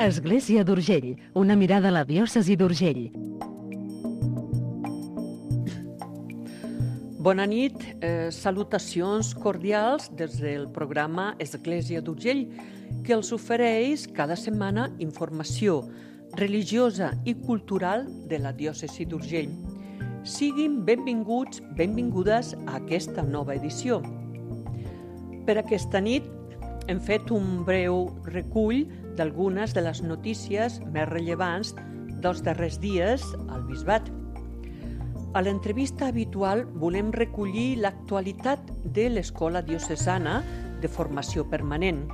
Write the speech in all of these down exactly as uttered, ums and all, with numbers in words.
Església d'Urgell, una mirada a la diòcesi d'Urgell. Bona nit, eh, salutacions cordials des del programa Església d'Urgell, que els ofereix cada setmana informació religiosa i cultural de la diòcesi d'Urgell. Siguin benvinguts, benvingudes a aquesta nova edició. Per aquesta nit hem fet un breu recull d'algunes de les notícies més rellevants dels darrers dies al Bisbat. A l'entrevista habitual volem recollir l'actualitat de l'Escola Diocesana de Formació Permanent.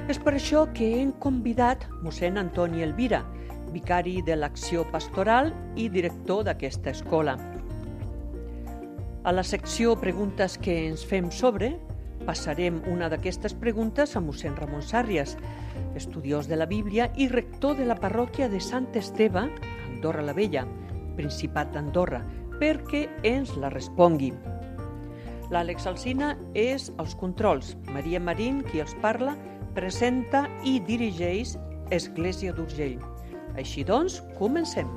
És per això que hem convidat mossèn Antoni Elvira, vicari de l'Acció Pastoral i director d'aquesta escola. A la secció Preguntes que ens fem sobre, passarem una d'aquestes preguntes a mossèn Ramon Sàrrias, estudiós de la Bíblia i rector de la parròquia de Sant Esteve, Andorra la Vella, Principat d'Andorra, perquè ens la respongui. L'Àlex Alsina és als controls. Maria Marín, qui els parla, presenta i dirigeix Església d'Urgell. Així doncs, comencem.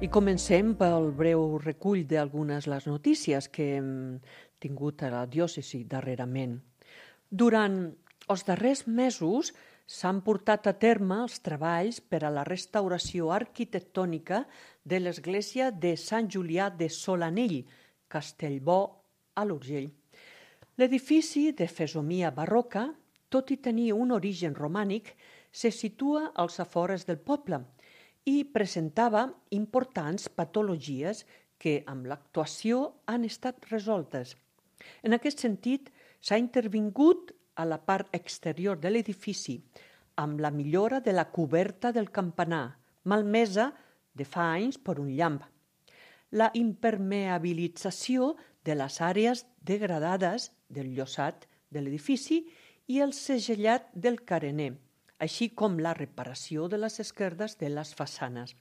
I comencem pel breu recull d'algunes de les notícies que hem tingut a la diòcesi darrerament. Durant els darrers mesos s'han portat a terme els treballs per a la restauració arquitectònica de l'església de Sant Julià de Solanell, Castellbò, a l'Urgell. L'edifici de fesomia barroca, tot i tenir un origen romànic, se situa als afores del poble i presentava importants patologies que amb l'actuació han estat resoltes. En aquest sentit, s'ha intervingut a la part exterior de l'edifici amb la millora de la coberta del campanar, malmesa de fa anys per un llamp, la impermeabilització de les àrees degradades del llosat de l'edifici i el segellat del carener, així com la reparació de les esquerdes de les façanes.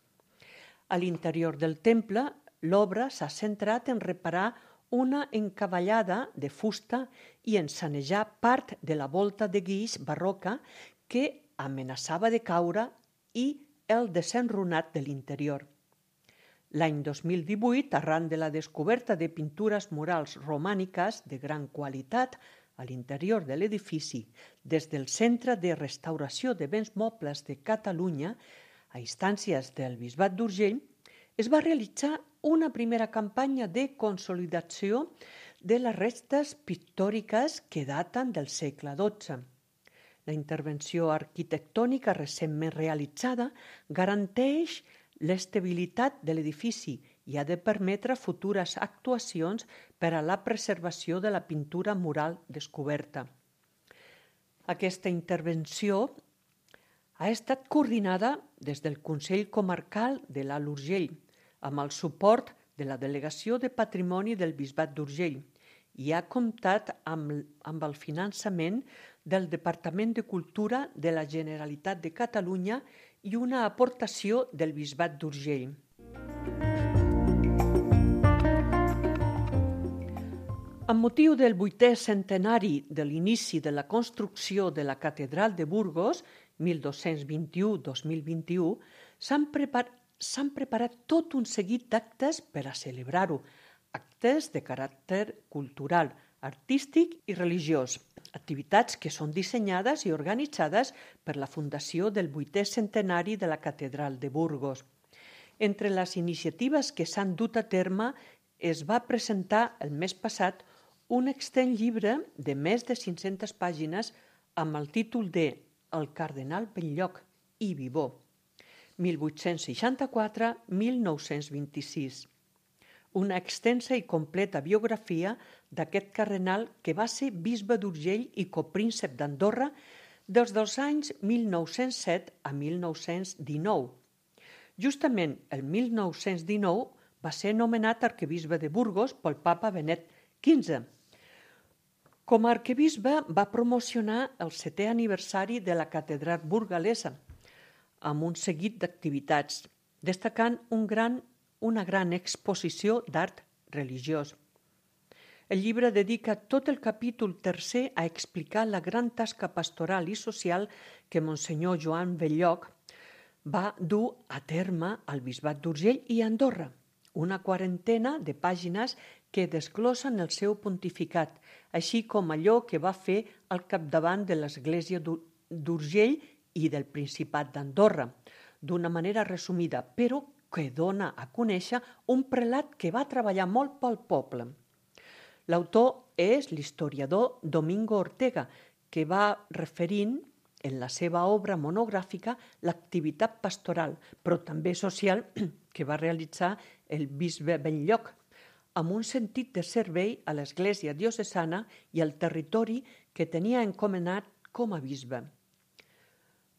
A l'interior del temple, l'obra s'ha centrat en reparar una encavallada de fusta i en sanejar part de la volta de guix barroca que amenaçava de caure i el desenrunat de l'interior. L'any dos mil divuit, arran de la descoberta de pintures murals romàniques de gran qualitat a l'interior de l'edifici, des del Centre de Restauració de Béns Mobles de Catalunya, a instàncies del Bisbat d'Urgell, es va realitzar una primera campanya de consolidació de les restes pictòriques que daten del segle dotze. La intervenció arquitectònica recentment realitzada garanteix l'estabilitat de l'edifici i ha de permetre futures actuacions per a la preservació de la pintura mural descoberta. Aquesta intervenció ha estat coordinada des del Consell Comarcal de l'Alt Urgell, amb el suport de la Delegació de Patrimoni del Bisbat d'Urgell i ha comptat amb, amb el finançament del Departament de Cultura de la Generalitat de Catalunya i una aportació del Bisbat d'Urgell. Amb motiu del vuitè centenari de l'inici de la construcció de la Catedral de Burgos, mil dos-cents vint-i-u a dos mil vint-i-u, s'han preparat s'han preparat tot un seguit d'actes per a celebrar-ho, actes de caràcter cultural, artístic i religiós, activitats que són dissenyades i organitzades per la Fundació del vuitè centenari de la Catedral de Burgos. Entre les iniciatives que s'han dut a terme es va presentar el mes passat un extens llibre de més de cinc-centes pàgines amb el títol de El cardenal Belllloc i Vivó, mil vuit-cents seixanta-quatre a mil nou-cents vint-i-sis. Una extensa i completa biografia d'aquest cardenal que va ser bisbe d'Urgell i copríncep d'Andorra des dels anys mil nou-cents set a mil nou-cents dinou. Justament el mil nou-cents dinou va ser nomenat arquebisbe de Burgos pel papa Benet quinze. Com a arquebisbe va promocionar el setè aniversari de la catedral burgalesa, amb un seguit d'activitats, destacant un gran, una gran exposició d'art religiós. El llibre dedica tot el capítol tercer a explicar la gran tasca pastoral i social que Monsenyor Joan Belloc va dur a terme al Bisbat d'Urgell i Andorra. Una quarantena de pàgines que desglossen el seu pontificat, així com allò que va fer al capdavant de l'Església d'Urgell i del Principat d'Andorra, d'una manera resumida, però que dona a conèixer un prelat que va treballar molt pel poble. L'autor és l'historiador Domingo Ortega, que va referint en la seva obra monogràfica l'activitat pastoral, però també social, que va realitzar el bisbe Belloc, amb un sentit de servei a l'Església diocesana i al territori que tenia encomanat com a bisbe.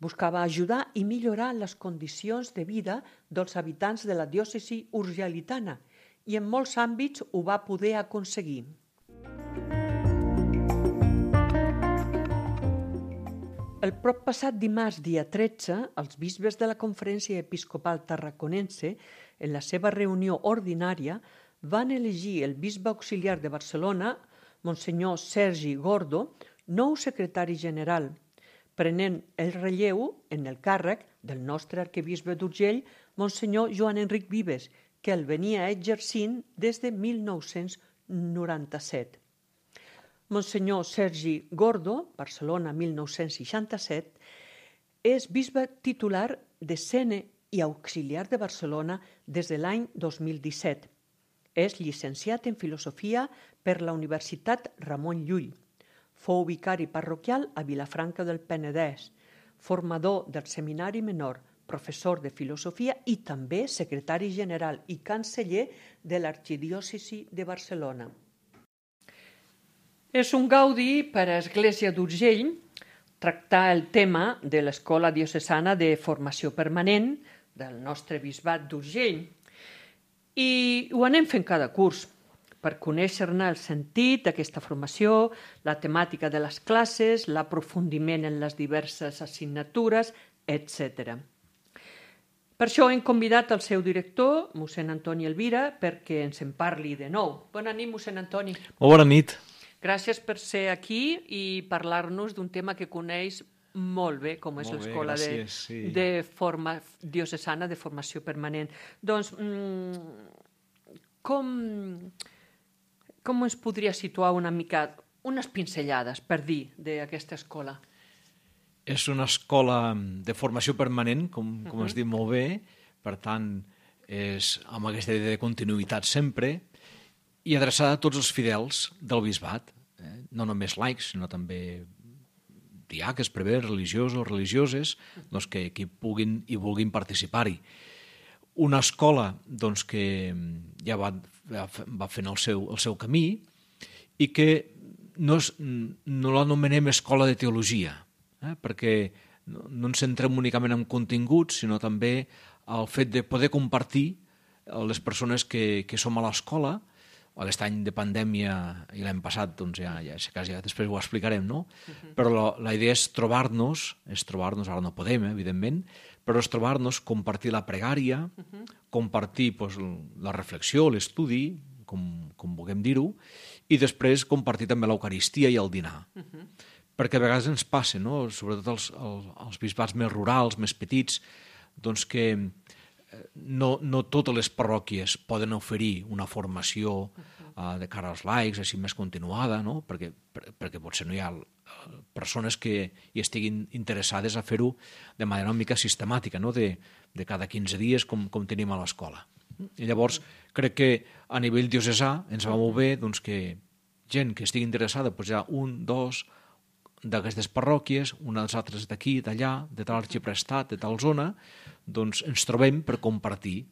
Buscava ajudar i millorar les condicions de vida dels habitants de la diòcesi urgelitana i en molts àmbits ho va poder aconseguir. El prop passat dimarts, dia tretze, els bisbes de la Conferència Episcopal Tarraconense, en la seva reunió ordinària, van elegir el bisbe auxiliar de Barcelona, Monsenyor Sergi Gordo, nou secretari general, prenent el relleu en el càrrec del nostre arquebisbe d'Urgell, Monsenyor Joan Enric Vives, que el venia exercint des de mil nou-cents noranta-set. Monsenyor Sergi Gordo, Barcelona mil nou-cents seixanta-set, és bisbe titular de Sena i auxiliar de Barcelona des de l'any dos mil disset. És llicenciat en Filosofia per la Universitat Ramon Llull. Fou vicari parroquial a Vilafranca del Penedès, formador del Seminari Menor, professor de Filosofia i també secretari general i canceller de l'Arxidiòcesi de Barcelona. És un gaudi per a Església d'Urgell tractar el tema de l'Escola Diocesana de Formació Permanent del nostre bisbat d'Urgell. I ho anem fent cada curs per conèixer-ne el sentit d'aquesta formació, la temàtica de les classes, l'aprofundiment en les diverses assignatures, etcètera. Per això hem convidat el seu director, mossèn Antoni Elvira, perquè ens en parli de nou. Bona nit, mossèn Antoni. Molt bona nit. Gràcies per ser aquí i parlar-nos d'un tema que coneix molt bé, com és l'Escola de, sí. de forma diocesana de formació permanent. Doncs, com, com ens podria situar una mica, unes pinzellades, per dir, d'aquesta escola? És una escola de formació permanent, com, com uh-huh. has dit molt bé, per tant, és amb aquesta idea de continuïtat sempre, i adreçada a tots els fidels del bisbat, eh? No només laics, sinó també diaques, prevers, religiosos, religioses, doncs que, que puguin i vulguin participar-hi. Una escola doncs, que ja va, va fent el seu, el seu camí i que no, és, no l'anomenem escola de teologia, eh? perquè no, no ens centrem únicament en continguts, sinó també el fet de poder compartir les persones que, que som a l'escola. Aquest any de pandèmia i l'any passat, doncs ja, ja, ja després ho explicarem, no? Uh-huh. Però la, la idea és trobar-nos, és trobar-nos, ara no podem, eh, evidentment, però és trobar-nos, compartir la pregària, uh-huh. compartir doncs, la reflexió, l'estudi, com, com vulguem dir-ho, i després compartir també l'Eucaristia i el dinar. Uh-huh. Perquè a vegades ens passa, no? Sobretot els, els, els bisbats més rurals, més petits, doncs que No, no totes les parròquies poden oferir una formació uh, de cara als laics, així més continuada, no? perquè, per, perquè potser no hi ha persones que hi estiguin interessades a fer-ho de manera una mica sistemàtica, no? de, de cada quinze dies com, com tenim a l'escola. I llavors crec que a nivell diocesà ens va molt bé doncs, que gent que estigui interessada, doncs hi ha un, dos d'aquestes parròquies, unes altres d'aquí, d'allà, de tal arxiprestat, de tal zona, doncs ens trobem per compartir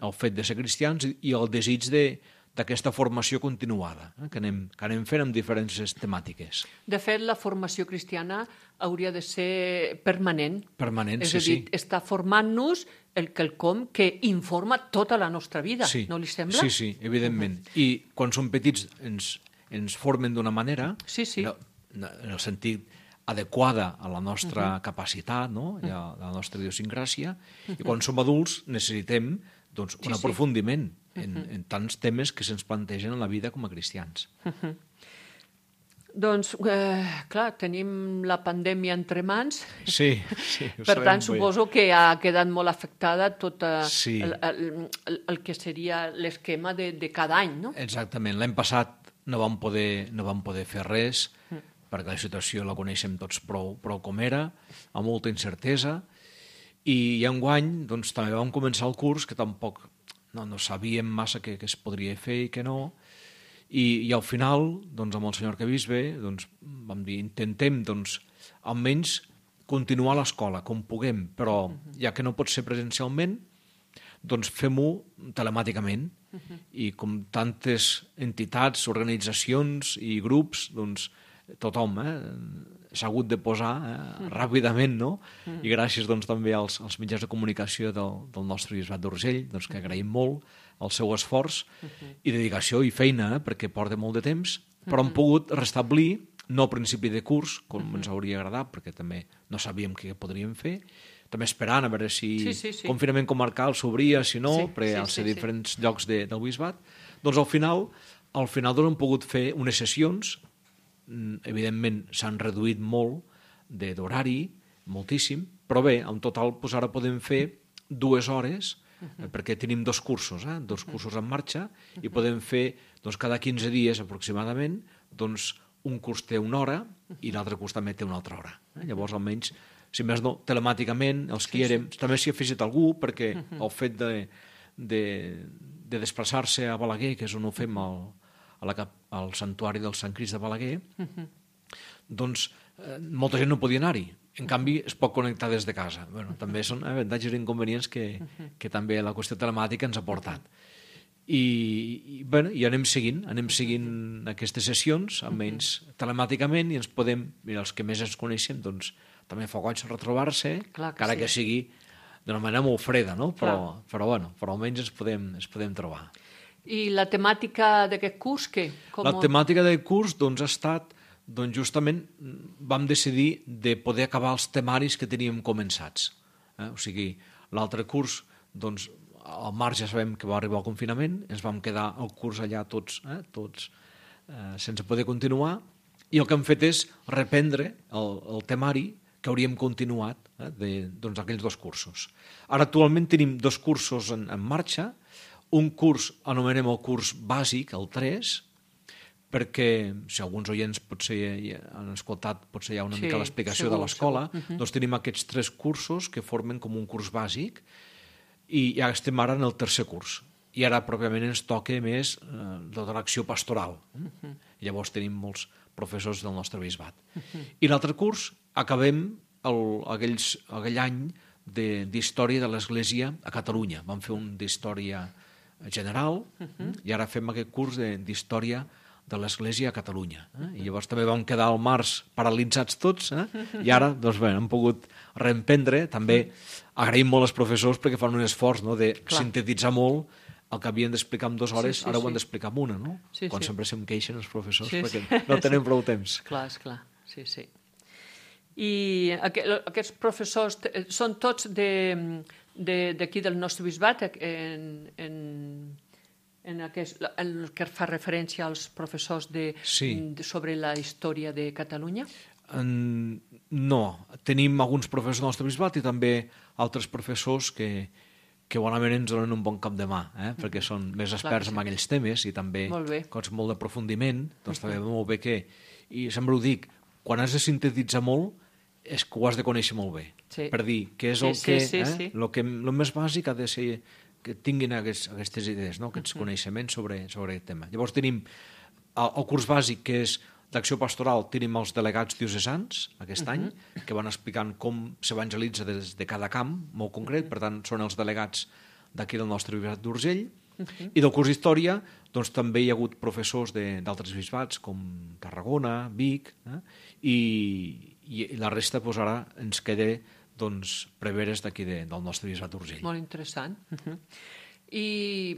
el fet de ser cristians i el desig d'aquesta formació continuada, eh, que, anem, que anem fent amb diferents temàtiques. De fet, la formació cristiana hauria de ser permanent. Permanent, és sí, a dir, sí. està formant-nos el quelcom que informa tota la nostra vida, sí, no li sembla? Sí, sí, evidentment. Uh-huh. I quan som petits ens, ens formen d'una manera... Sí, sí. No, en el sentit adequada a la nostra uh-huh. capacitat, no? I a la nostra idiosincràsia, uh-huh. i quan som adults necessitem doncs, un Sí, sí. aprofundiment en, en tants temes que se'ns plantegen en la vida com a cristians. Doncs, eh, clar, tenim la pandèmia entre mans. Sí, sí, ho Per sabem tant, bé. suposo que ha quedat molt afectada tot eh, Sí. el, el, el, el que seria l'esquema de, de cada any, no? Exactament. L'any passat no vam poder, no vam poder fer res, perquè la situació la coneixem tots prou, prou com era, amb molta incertesa, i, i enguany doncs, també vam començar el curs que tampoc no, no sabíem massa què, què es podria fer i què no, i, i al final, doncs, amb el senyor arquebisbe, doncs, vam dir, intentem doncs, almenys continuar l'escola com puguem, però ja que no pot ser presencialment, doncs fem-ho telemàticament. I com tantes entitats, organitzacions i grups, doncs tothom eh, s'ha hagut de posar eh, ràpidament, no? I gràcies doncs, també als, als mitjans de comunicació del, del nostre bisbat d'Urgell, doncs, que agraïm molt el seu esforç i dedicació i feina, eh, perquè porta molt de temps, però hem pogut restablir, no a principi de curs, com ens hauria agradat, perquè també no sabíem què podríem fer, també esperant a veure si Sí, sí, sí. confinament comarcal s'obria, si no, Sí, perquè sí, al ser sí, sí. diferents llocs de, del bisbat, doncs al final, al final doncs, hem pogut fer unes sessions, mm, evidentment s'han reduït molt de- d'horari, moltíssim, però bé, en total doncs, ara podem fer dues hores, eh, perquè tenim dos cursos, eh, dos cursos en marxa, i podem fer doncs, cada quinze dies aproximadament, doncs, un curs té una hora i l'altre curs també té una altra hora. Eh? Llavors, almenys, si més no, telemàticament, els que hi érem, també s'hi ha afegit algú, perquè el fet de, de, de desplaçar-se a Balaguer, que és on ho fem al, a la, cap- al santuari del Sant Crist de Balaguer, doncs eh, molta gent no podia anar-hi. En canvi, es pot connectar des de casa. Bueno, també són avantatges i inconvenients que, que també la qüestió telemàtica ens ha portat. I, i, bueno, i anem seguint, anem seguint aquestes sessions, almenys telemàticament, i ens podem, mira, els que més ens coneixem, doncs també fa goig retrobar-se, Clar que encara sí. que sigui d'una manera molt freda, no? Però, Clar. però, bueno, però almenys ens podem, ens podem trobar. I la temàtica d'aquest curs, què? Com... La temàtica del curs doncs, ha estat, doncs, justament, vam decidir de poder acabar els temaris que teníem començats. Eh? O sigui, l'altre curs, doncs, al març ja sabem que va arribar el confinament, ens vam quedar el curs allà tots, eh? tots eh, sense poder continuar, i el que hem fet és reprendre el, el temari que hauríem continuat eh? de, doncs, aquells dos cursos. Ara actualment tenim dos cursos en, en marxa, un curs anomenem el curs bàsic, el tres, perquè si alguns oients potser ja han escoltat potser hi ha una Sí, mica l'explicació segur, de l'escola, segur. Uh-huh. doncs tenim aquests tres cursos que formen com un curs bàsic i ja estem ara en el tercer curs. I ara pròpiament ens toca més eh, tota l'acció pastoral. Uh-huh. Llavors tenim molts professors del nostre bisbat. Uh-huh. I l'altre curs acabem el, aquells, aquell any de- d'història de l'Església a Catalunya. Vam fer un d'història general uh-huh. i ara fem aquest curs de- d'història de l'Església a Catalunya. Eh? I llavors també vam quedar al març paralitzats tots, eh? I ara doncs, bé, hem pogut reemprendre. També agraïm molt als professors perquè fan un esforç, no?, de Clar. sintetitzar molt el que havien d'explicar en dues hores, Sí, sí, ara ho han sí. d'explicar en una, no? Sí, Quan sí. sempre se'm queixen els professors Sí, perquè sí. no tenen prou temps. Clar, esclar, sí, sí. I aqu aquests professors t- són tots de- de- d'aquí de, del nostre bisbat, en, en, en, aquest, en el que fa referència als professors de, Sí. de, sobre la història de Catalunya? En... No, tenim alguns professors del nostre bisbat i també altres professors que, que bonament ens donen un bon cap de mà, eh? perquè són més experts que en sí. aquells temes i també Molt bé. coses molt d'aprofundiment, doncs també va molt bé que... I sempre ho dic, quan has de sintetitzar molt és que ho has de conèixer molt bé. Sí. Per dir, què és Sí, el sí, que... sí, eh? sí. Lo que... Lo més bàsic ha de ser que tinguin aquests, aquestes idees, no? aquests coneixements sobre, sobre aquest tema. Llavors tenim el, el curs bàsic, que és d'acció pastoral, tenim els delegats diocesans aquest any, que van explicant com s'evangelitza des de cada camp, molt concret, per tant, són els delegats d'aquí del nostre bisbat d'Urgell. I del curs d'història, doncs també hi ha hagut professors de- d'altres bisbats, com Tarragona, Vic, eh? I, i la resta, doncs ara ens queda doncs, preveres d'aquí de, del nostre bisbat d'Urgell. Molt interessant. Uh -huh. I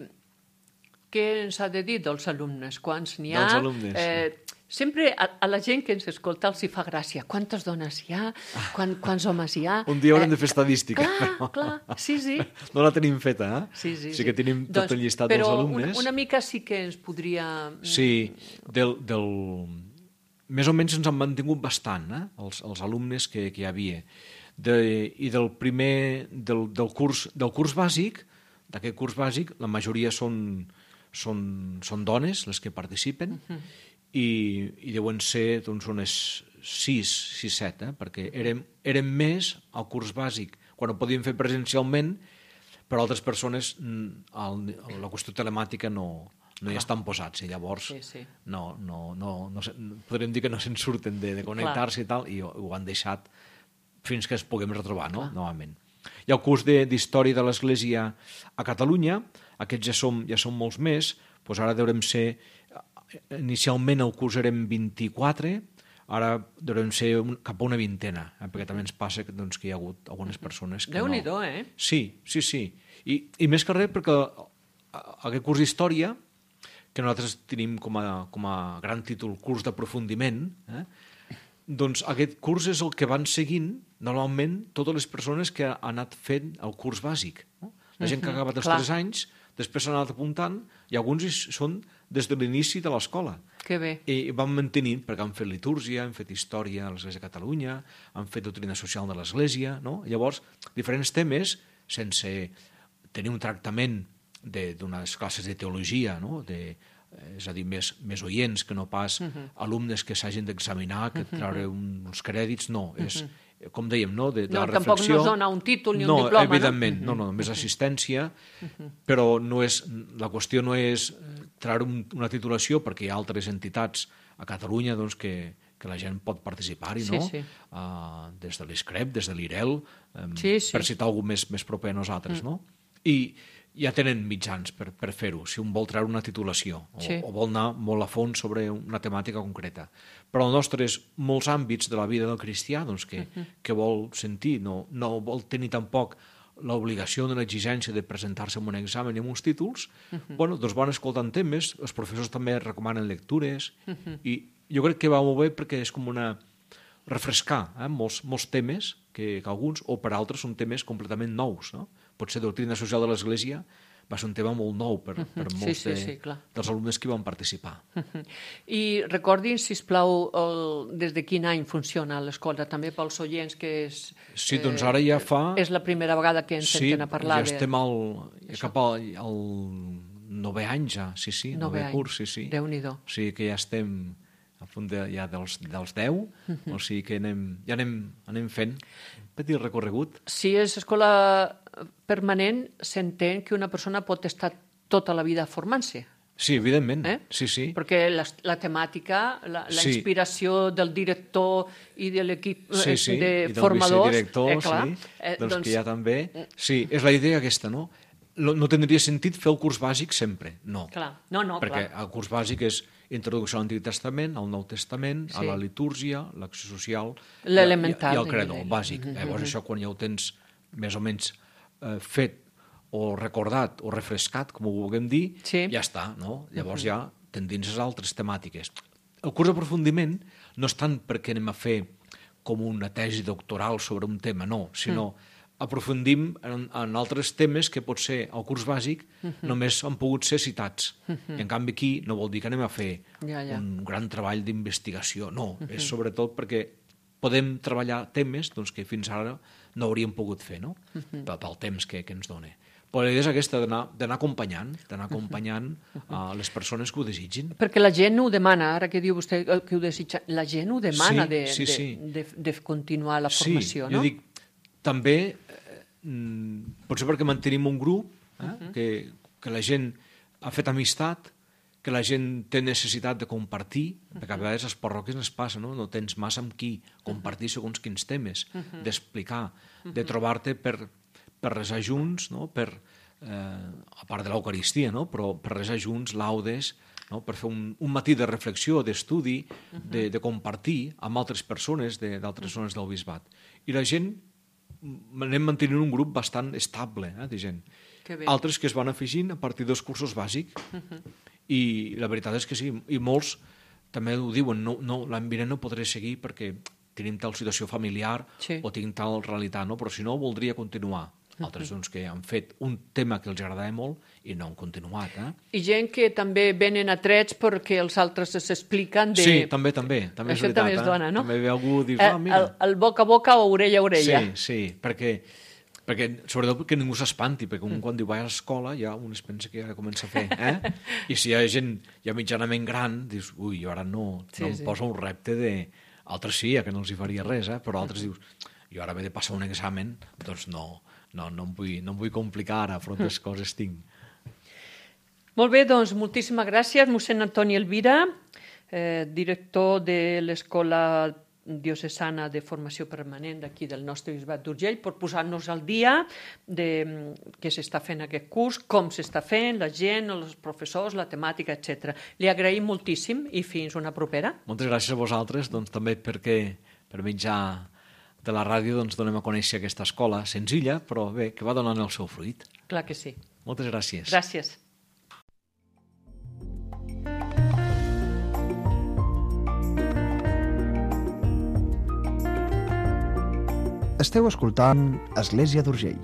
què ens ha de dir dels alumnes? Quants n'hi ha? Dels alumnes, Eh, Sempre a, a la gent que ens escolta els hi fa gràcia. Quantes dones hi ha? Quan, quants homes hi ha? Un dia haurem eh, de fer estadística. Clar, però... clar, sí, sí. No la tenim feta, eh? Sí, sí, sí que tenim sí. tot doncs, el llistat dels alumnes. Però una, una mica sí que ens podria... Sí, del... del... més o menys ens han mantingut bastant, eh? els, els alumnes que, que hi havia. De, I del primer... Del, del, curs, del curs bàsic, d'aquest curs bàsic, la majoria són, són, són dones les que participen, uh-huh. i, i deuen ser doncs, unes sis, sis, set, eh? Perquè érem, érem més al curs bàsic, quan ho podíem fer presencialment, però altres persones el, la qüestió telemàtica no, no hi estan posats, i llavors sí, sí. No, no, no, no, podríem dir que no se'n surten de, de connectar-se i tal, i ho, ho han deixat fins que es puguem retrobar, no? Novament. Hi ha el curs d'Història de l'Església a Catalunya, aquests ja som, ja som molts més, doncs ara deurem ser... Inicialment el curs érem vint-i-quatre, ara deurem ser un, cap a una vintena, eh? Perquè també ens passa que, doncs, que hi ha hagut algunes persones que Déu-n'hi-do, no... eh? Sí, sí, sí. I, i més que res perquè aquest curs d'Història, que nosaltres tenim com a, com a gran títol curs d'aprofundiment, eh? Doncs aquest curs és el que van seguint normalment totes les persones que han anat fent el curs bàsic. No? La gent que ha acabat els tres anys, després s'han anat apuntant, i alguns són des de l'inici de l'escola. Que bé. I van mantenint, perquè han fet litúrgia, han fet història a l'Església de Catalunya, han fet doctrina social de l'Església, no? Llavors, diferents temes, sense tenir un tractament d'unes classes de teologia, no? De, és a dir, més, més oients que no pas uh-huh. alumnes que s'hagin d'examinar, que treure uns crèdits, no, és... Uh-huh. Com dèiem, no? De, de no, la reflexió... Tampoc no es dona un títol ni no, un diploma, evidentment, no? No, no, només assistència, però no és, la qüestió no és treure un, una titulació, perquè hi ha altres entitats a Catalunya doncs, que, que la gent pot participar-hi, no? Sí, sí. Uh, des de l'Escrep, des de l'Irel, um, sí, sí. per citar algú més, més proper a nosaltres, mm. no? I ja tenen mitjans per, per fer-ho, si un vol treure una titulació o, sí. o vol anar molt a fons sobre una temàtica concreta. Però el nostre és molts àmbits de la vida del cristià doncs, que, uh-huh. que vol sentir, no, no vol tenir tampoc l'obligació d'una exigència de presentar-se en un examen i amb uns títols, uh-huh. bueno, doncs van escoltant temes, els professors també recomanen lectures, uh-huh. i jo crec que va molt bé perquè és com una... refrescar eh? molts, molts temes que, que alguns, o per altres, són temes completament nous, no? Potser doctrina social de l'Església va ser un tema molt nou per, per molts sí, sí, sí, de, dels alumnes que hi van participar. I recordin, sisplau, el, des de quin any funciona l'escola, també pels oients que és... Sí, doncs ara ja fa... És la primera vegada que ens sí, senten a parlar. Sí, ja estem al, ja cap al, al novè any ja, sí, sí, novè curs, sí, sí. Déu-n'hi-do. O sigui que ja estem a punt de, ja dels, dels deu, o sigui que anem, ja anem, anem fent un petit recorregut. Si és escola permanent, s'entén que una persona pot estar tota la vida formant-se. Sí, evidentment, eh? sí, sí. Perquè la, la temàtica, la, la sí. inspiració del director i de l'equip sí, sí. de I del formadors... vicedirector, eh, clar, sí, eh, doncs, doncs que ja també... Mm. Sí, és la idea aquesta, no? No, no tindria sentit fer el curs bàsic sempre, no. Clar, no, no, perquè clar. el curs bàsic és introducció a l'Antic Testament, al Nou Testament, sí. a la litúrgia, l'acció social l'elemental, i, i el credo, el bàsic. Mm-hmm. Llavors això quan ja ho tens més o menys eh, fet o recordat o refrescat, com ho vulguem dir, sí. ja està, no? Llavors mm-hmm. ja t'endinses altres temàtiques. El curs d'aprofundiment no és tant perquè anem a fer com una tesi doctoral sobre un tema, no, sinó mm. aprofundim en, en altres temes que potser al curs bàsic uh-huh. només han pogut ser citats. Uh-huh. I en canvi aquí no vol dir que anem a fer ja, ja. un gran treball d'investigació. No, uh-huh. és sobretot perquè podem treballar temes doncs, que fins ara no hauríem pogut fer, no? Uh-huh. pel, pel temps que, que ens dona. Però la idea és aquesta, d'anar acompanyant, d'anar acompanyant uh-huh. uh, les persones que ho desitgin. Perquè la gent ho demana, ara que diu vostè que ho desitja, la gent ho demana sí, de, sí, de, sí. de, de continuar la formació, sí, no? Jo dic, també, eh, potser perquè mantenim un grup, eh, uh-huh. que, que la gent ha fet amistat, que la gent té necessitat de compartir, uh-huh. perquè a vegades a les parròquies ens passa, no? No tens massa amb qui compartir segons quins temes, uh-huh. d'explicar, uh-huh. de trobar-te per, per resar junts, no? Per, eh, a part de l'Eucaristia, no? Però per resar junts, laudes, no? Per fer un, un matí de reflexió, d'estudi, uh-huh. de, de compartir amb altres persones d'altres zones del bisbat. I la gent anem mantenint un grup bastant estable, eh, de gent. Altres que es van afegint a partir dels cursos bàsics, uh-huh. i la veritat és que sí, i molts també ho diuen, no, no, l'any vinent no podré seguir perquè tenim tal situació familiar Sí. o tinc tal realitat, no? Però si no, voldria continuar. Altres doncs, que han fet un tema que els agradava molt i no han continuat. Eh? I gent que també venen atrets perquè els altres s'expliquen de... Sí, també, també. també és Això veritat, també es dona, eh? no? També ve algú i dius, Eh, ah, mira... el, el boca a boca o orella a orella. Sí, sí, perquè, perquè sobretot perquè ningú s'espanti, perquè un quan diu vaig a l'escola ja un es pensa que ja comença a fer, eh? I si hi ha gent ja mitjanament gran, dius, ui, jo ara no, Sí, no sí. em posa un repte de... Altres sí, ja que no els hi faria res, eh? Però altres dius, jo ara he de passar un examen, doncs no, no, no, em, vull, no em vull complicar ara, però altres coses tinc. Molt bé, doncs moltíssimes gràcies, mossèn Antoni Elvira, eh, director de l'Escola Diocesana de Formació Permanent d'aquí del nostre bisbat d'Urgell, per posar-nos al dia de mm, què s'està fent aquest curs, com s'està fent, la gent, els professors, la temàtica, etcètera. Li agraïm moltíssim i fins una propera. Moltes gràcies a vosaltres, doncs també perquè per mitjà de la ràdio doncs, donem a conèixer aquesta escola senzilla, però bé, que va donant el seu fruit. Clar que sí. Moltes gràcies. Gràcies. Esteu escoltant Església d'Urgell.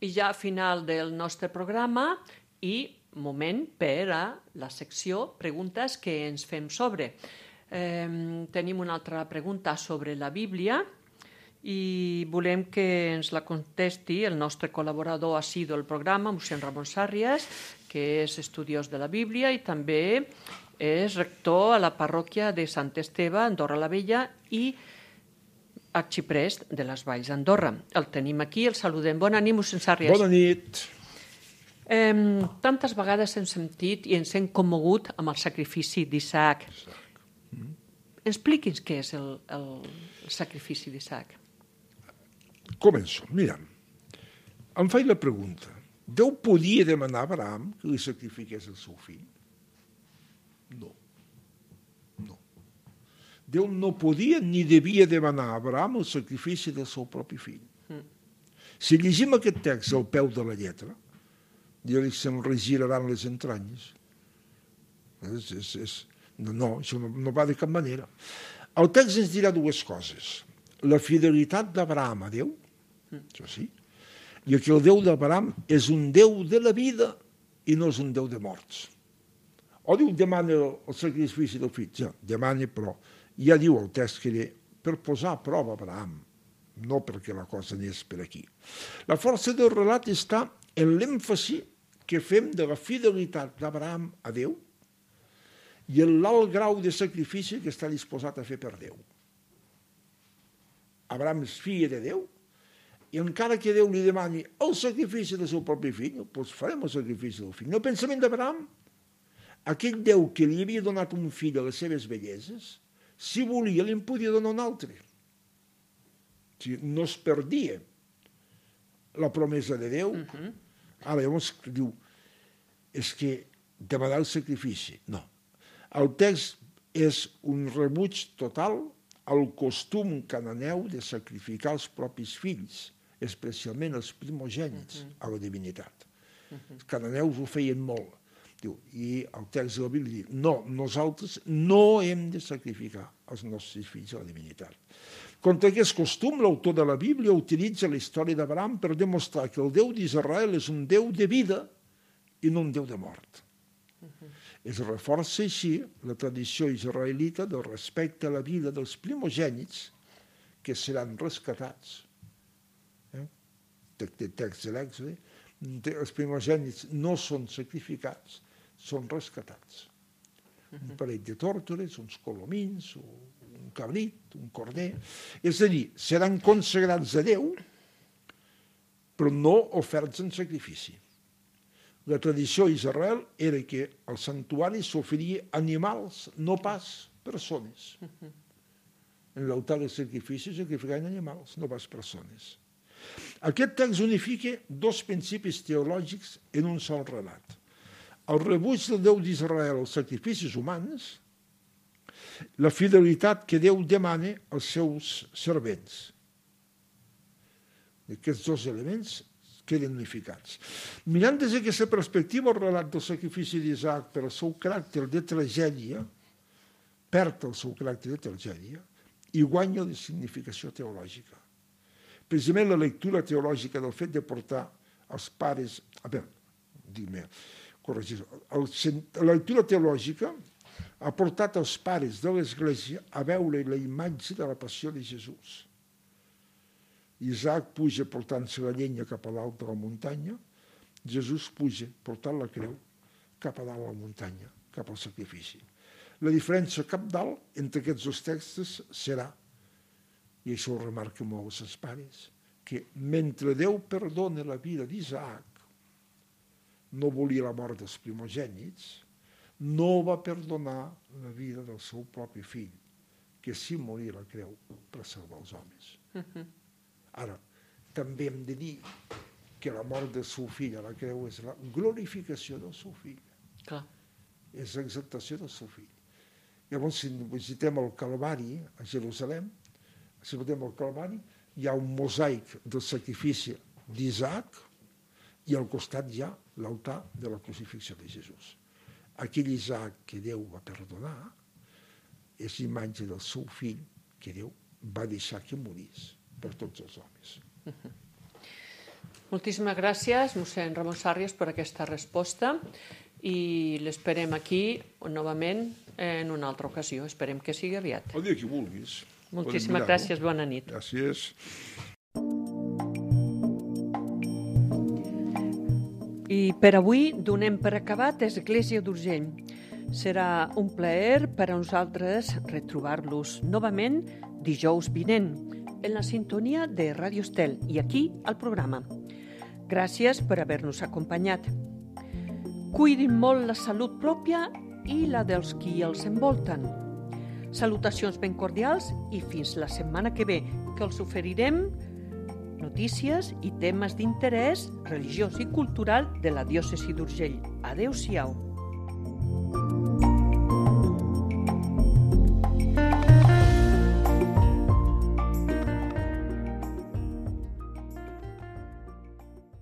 I ja a final del nostre programa i moment per a la secció preguntes que ens fem sobre. Eh, tenim una altra pregunta sobre la Bíblia i volem que ens la contesti el nostre col·laborador assidu al programa, mossèn Ramon Sàrries, que és estudiós de la Bíblia i també és rector a la parròquia de Sant Esteve, Andorra la Vella, i arxiprest de les Valls d'Andorra. El tenim aquí, el saludem. Bona nit, mossèn Sàrries. Bona nit. Eh, tantes vegades hem sentit i ens hem commogut amb el sacrifici d'Isaac. Expliqui'ns què és el, el, el sacrifici d'Isaac. Començo. Mira, em faig la pregunta. Déu podia demanar a Abraham que li sacrifiqués el seu fill? No. No. Déu no podia ni devia demanar a Abraham el sacrifici del seu propi fill. Mm. Si llegim aquest text al peu de la lletra, diu que se'n regiraran les entranyes. És, és, és... No, no, això no, no va de cap manera. El text ens dirà dues coses. La fidelitat d'Abraham a Déu, això sí, i que el Déu d'Abraham és un Déu de la vida i no és un Déu de morts. O diu, demana el sacrifici del fill, ja, demana, però ja diu el text que era per posar a prova Abraham, no perquè la cosa anés per aquí. La força del relat està en l'èmfasi que fem de la fidelitat d'Abraham a Déu i en l'alt grau de sacrifici que està disposat a fer per Déu. Abraham és fill de Déu i encara que Déu li demani el sacrifici del seu propi fill, doncs farem el sacrifici del fill. No, el pensament d'Abraham, aquell Déu que li havia donat un fill a les seves belleses, si volia, li en podia donar un altre. O sigui, no es perdia la promesa de Déu. Uh-huh. Ara, llavors, diu, és que demanar el sacrifici. No. El text és un rebuig total al costum cananeu de sacrificar els propis fills, especialment els primogènits, uh-huh. a la divinitat. Uh-huh. Els cananeus ho feien molt. Diu, i el text de la Bíblia diu, no, nosaltres no hem de sacrificar els nostres fills a la divinitat. Contra aquest costum, l'autor de la Bíblia utilitza la història d'Abraham per demostrar que el Déu d'Israel és un Déu de vida i no un Déu de mort. Uh-huh. Es reforça així la tradició israelita del respecte a la vida dels primogènits que seran rescatats. Eh? Text de l'Èxode. Els primogènits no són sacrificats, són rescatats. Un parell de tórtores, uns colomins, un cabrit, un corder. És a dir, seran consagrats a Déu, però no oferts en sacrifici. La tradició a Israel era que al santuari s'oferia animals, no pas persones. En l'altar de sacrifici sacrificaven animals, no pas persones. Aquest text unifica dos principis teològics en un sol relat. El rebuig del Déu d'Israel als sacrificis humans la fidelitat que Déu demana als seus servents. Aquests dos elements queden unificats. Mirant des d'aquesta perspectiva, el relat del sacrifici d'Isaac per al seu caràcter de tragèdia perd el seu caràcter de tragèdia i guanya la significació teològica. Precisament la lectura teològica del fet de portar els pares... A veure, dic-me, corregir, la lectura teològica ha portat els pares de l'Església a veure la imatge de la passió de Jesús. Isaac puja portant-se la llenya cap a dalt de la muntanya, Jesús puja portant la creu cap a dalt de la muntanya, cap al sacrifici. La diferència cabdal entre aquests dos textos serà, i això ho remarca molt els pares, que mentre Déu perdona la vida d'Isaac, no volia la mort dels primogènits, no va perdonar la vida del seu propi fill, que sí moria a la creu per salvar els homes. Uh-huh. Ara, també hem de dir que la mort del seu fill a la creu és la glorificació del seu fill. Clar. És l'exaltació del seu fill. Llavors, si visitem el Calvari a Jerusalem, si visitem el Calvari, hi ha un mosaic del sacrifici d'Isaac i al costat hi ha l'altar de la crucifixió de Jesús. Aquell Isaac que Déu va perdonar és imatge del seu fill que Déu va deixar que morís per tots els homes. Uh-huh. Moltíssimes gràcies, mossèn Ramon Sàrries, per aquesta resposta i l'esperem aquí novament en una altra ocasió. Esperem que sigui aviat. El dia que vulguis. Moltíssimes gràcies, bona nit. Gràcies. I per avui donem per acabat Església d'Urgell. Serà un plaer per a nosaltres retrobar-los novament dijous vinent en la sintonia de Ràdio Estel i aquí al programa. Gràcies per haver-nos acompanyat. Cuidin molt la salut pròpia i la dels qui els envolten. Salutacions ben cordials i fins la setmana que ve, que els oferirem notícies i temes d'interès religiós i cultural de la diòcesi d'Urgell. Adéu-siau.